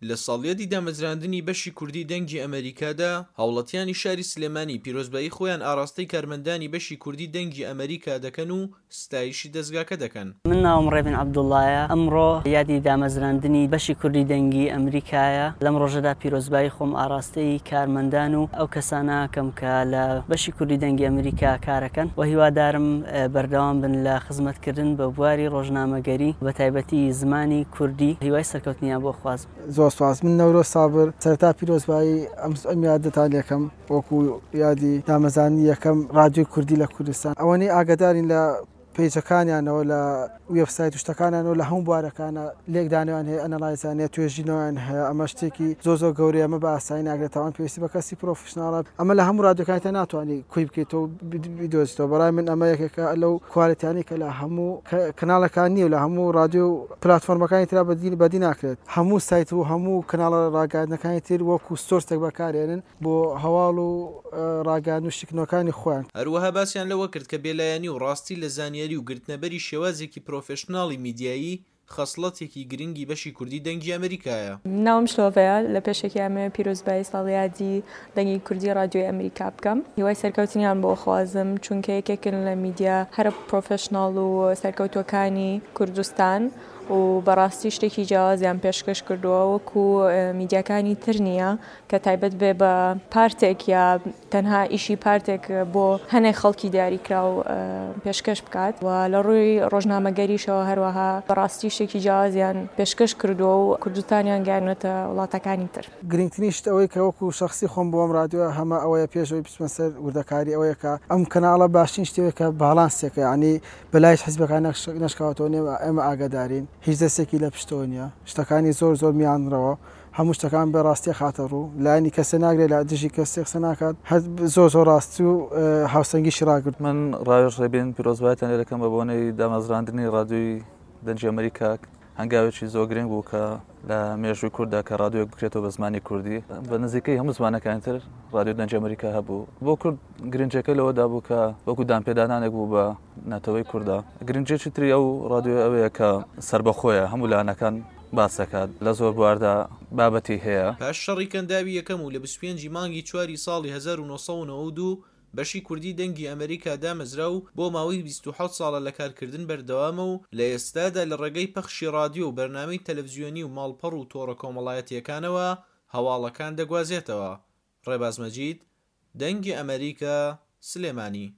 لە ساڵیادی دامەزراندنی بەشی کوردی دەنگی ئەمەریکادا، هاوڵاتیانی شاری سلێمانی پیرۆزبایی خۆیان ئاڕاستەی کارمەندانی بەشی کوردی دەنگی ئەمەریکا دەکەن و ستایشی دەزگاکە دەکەن. من ناوم ڕێبین عەبدوڵایە، ئەمڕۆ یادی دامەزراندنی بەشی کوردی دەنگی ئەمریکایە، لەم ڕۆژەدا پیرۆزبایی خۆم ئاڕاستەی کارمەندان و ئەو کەسانە ئەکەم کە لە بەشی کوردی دەنگی ئەمریکا کارەکەن و هیوادارم بەردەوام بن لە خزمەتکردن بە بواری ڕۆژنامەگەری بەتایبەتی زمانی کوردی، هیوای سەرکەوتنیان بۆ خوازم. زۆر سوپاس. من نەورۆز سابر، سەرەتا پیرۆزبایی ئەم یادەتان لێکەم وەکو یادی دامەزاندنی یەکەم ڕادیۆی کوردی لە کوردستان. ئەوەنەی ئاگادارین لە پەیجەکانیانەوە لە وێبسایت و شتەکانیانەوە لە هەموو بوارەکانە لێکدانەوەیان هەیە، ئەنەلایزیان هەیە، توێژینەوەیان هەیە، ئەمە شتێکی زۆر زۆر گەورەیە، ئەمە بە ئاسایی ناکرێت، تاوان پێویستی بە کەسی پرۆفیشناڵە، ئەمە لە هەموو ڕادیۆکانی تر ناتوانی کۆی بکەیتەوە و بیدۆزیتەوە، بەڕای من ئەمە یەکێکە لەو کوالێتیانەی کە لە هەموو کەناڵەکان نییە و لە هەموو ڕادیۆ و پلاتفۆرمەکانی ترا بەدی ناکرێت، هەموو سایت و هەموو کەناڵە ڕاگەیاندنەکانی تر وەکو source ێک بەکارێنن بۆ هەواڵ و ڕاگەیاندن و شیکردنەوەکانی خۆیان. هەروەها باسیان لەوە کرد کە بێلایەنی و ڕاستی لە زانیاری و گرتنەبەری شێوازێکی پرۆفێشناڵی میدیایی خەسڵەتێکی گرنگی بەشی کوردی دەنگی ئەمریکایە. ناوم شلۆڤەیە، لە پێشەکی ئەمەوێ پیرۆزبایی ساڵیادی دەنگی کوردی ڕادیۆی ئەمریکا بکەم. هیوای سەرکەوتنیان بۆ ئەخوازم، چونکە یەکێکن لە میدیا هەرە پرۆفێشناڵ و سەرکەوتووەکانی کوردستان و بەڕاستی شتێکی جیاوازیان پێشکەش کردووە وەکو میدیاکانی تر نییە کە تایبەت بێ بە پارتێک یا تەنها ئیشی پارتێک بۆ هەنێک خەڵکی دیاریکراو پێشکەش بکات و لە ڕووی ڕۆژنامەگەریشەوە هەروەها بەڕاستی شتێکی جیاوازیان پێشکەش کردووە و کوردستانیان گەیاندووەتە وڵاتەکانی تر. گرنگترین شت ئەوەی کە وەکو شەخسی خۆم بۆ ئەم ڕادیۆیە هەمە ئەوەیە پێش ئەوەی بچمە سەر وردەکاری ئەوەیە کە ئەم کەناڵە باشترین شتێکە کە باڵانسێکە یانی بەلای هیچ حیزبەکان نەشکاوەتەوە ئێمە ئاگادارین هیچ دەستێکی لە پشتەوە نییە شتەکانی زۆر زۆر میانڕەوە هەموو شتەکان بە ڕاستی ئەخاتە ڕوو، لایەنی کەسێ ناگرێت لە دژی کەسێ قسە ناکات، هەر زۆر زۆر ڕاستی و هاوسەنگیشی ڕاگرت. من ڕاوێژ ڕێبین پیرۆزبایتان لێ دەکەم بە بۆنەی دامەزراندنی ڕادیۆی دەنگی ئەمریکا هەنگاوێکی زۆر گرنگ بوو کە لە مێژووی کورددا کە ڕادیۆیەک بکرێتەوە بە زمانی کوردی بە نزیکەی هەموو زمانەکانی تر ڕادیۆ دەنگی ئەمریکا هەبوو بۆ کورد گرنگەکەی لەوەدا بوو کە وەکو دانپێدانانێک بوو بە نەتەوەی کوردە گرنگێکی تری ئەو ڕادیۆ ئەوەیە کە سربەخۆیە هەموو لایەنەکان باس دەکات لە زۆر بواردا بابەتی هەیە. پاش شەڕی کەنداوی یەکەم و لە 25 ی مانگی چواری ساڵی 1992 بەشی کوردی دەنگی ئەمریکا دامەزرا و بۆ ماوەی 27 ساڵە لە کارکردن بەردەوامە و لە ئێستادا لە ڕێگەی پەخشی ڕادیۆ و بەرنامەی تەلەفزیۆنی و ماڵپەڕ و تۆڕە کۆمەڵایەتییەکانەوە هەواڵەکان دەگوازێتەوە. ڕێباز مەجید، دەنگی ئەمریکا، سلێمانی.